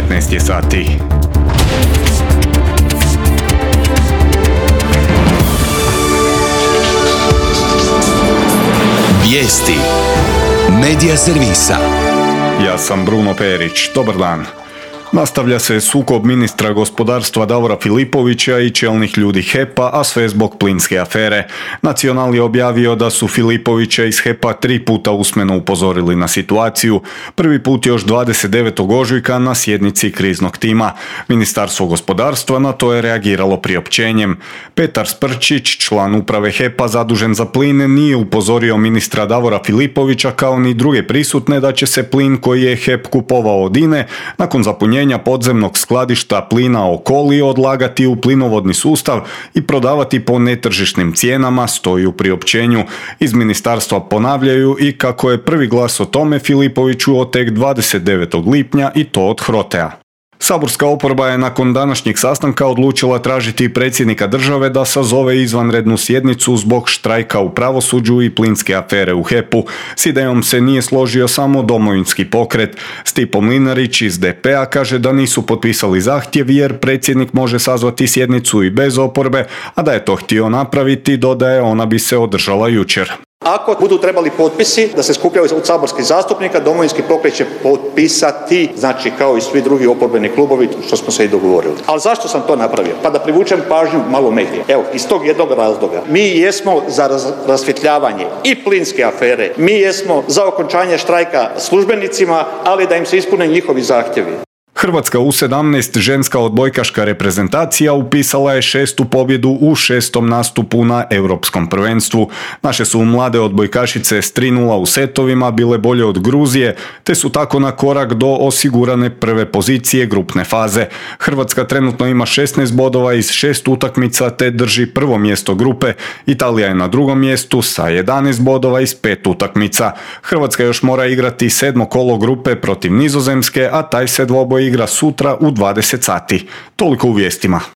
15 je sati. Vijesti Medija servisa. Ja sam Bruno Perić. Dobar dan. Nastavlja se sukob ministra gospodarstva Davora Filipovića i čelnih ljudi HEP-a, a sve zbog plinske afere. Nacional je objavio da su Filipovića iz HEP-a 3 puta usmeno upozorili na situaciju. Prvi put još 29. ožujka na sjednici kriznog tima. Ministarstvo gospodarstva na to je reagiralo priopćenjem. Petar Sprčić, član uprave HEP-a zadužen za plin, nije upozorio ministra Davora Filipovića kao ni druge prisutne da će se plin koji je HEP kupovao od INE nakon zapunjenja podzemnog skladišta plina Okoli odlagati u plinovodni sustav i prodavati po netržišnim cijenama, stoji u priopćenju. Iz ministarstva ponavljaju i kako je prvi glas o tome Filipoviću tek 29. lipnja i to od HROTE-a. Saborska oporba je nakon današnjeg sastanka odlučila tražiti predsjednika države da sazove izvanrednu sjednicu zbog štrajka u pravosuđu i plinske afere u HEP-u. S idejom se nije složio samo Domovinski pokret. Stipo Mlinarić iz DP-a kaže da nisu potpisali zahtjev jer predsjednik može sazvati sjednicu i bez oporbe, a da je to htio napraviti, dodaje, ona bi se održala jučer. Ako budu trebali potpisi da se skupljaju od saborskih zastupnika, Domovinski pokret će potpisati, znači kao i svi drugi oporbeni klubovi, što smo se i dogovorili. Ali zašto sam to napravio? Pa da privučem pažnju malo medija. Evo, iz tog jednog razloga. Mi jesmo za rasvjetljavanje i plinske afere, mi jesmo za okončanje štrajka službenicima, ali da im se ispune njihovi zahtjevi. Hrvatska U17 ženska odbojkaška reprezentacija upisala je 6. pobjedu u 6. nastupu na Europskom prvenstvu. Naše su mlade odbojkašice s 3:0 u setovima bile bolje od Gruzije, te su tako na korak do osigurane prve pozicije grupne faze. Hrvatska trenutno ima 16 bodova iz 6 utakmica te drži prvo mjesto grupe. Italija je na drugom mjestu sa 11 bodova iz 5 utakmica. Hrvatska još mora igrati 7. kolo grupe protiv Nizozemske, a taj se dvoboj igra sutra u 20 sati. Toliko u vijestima.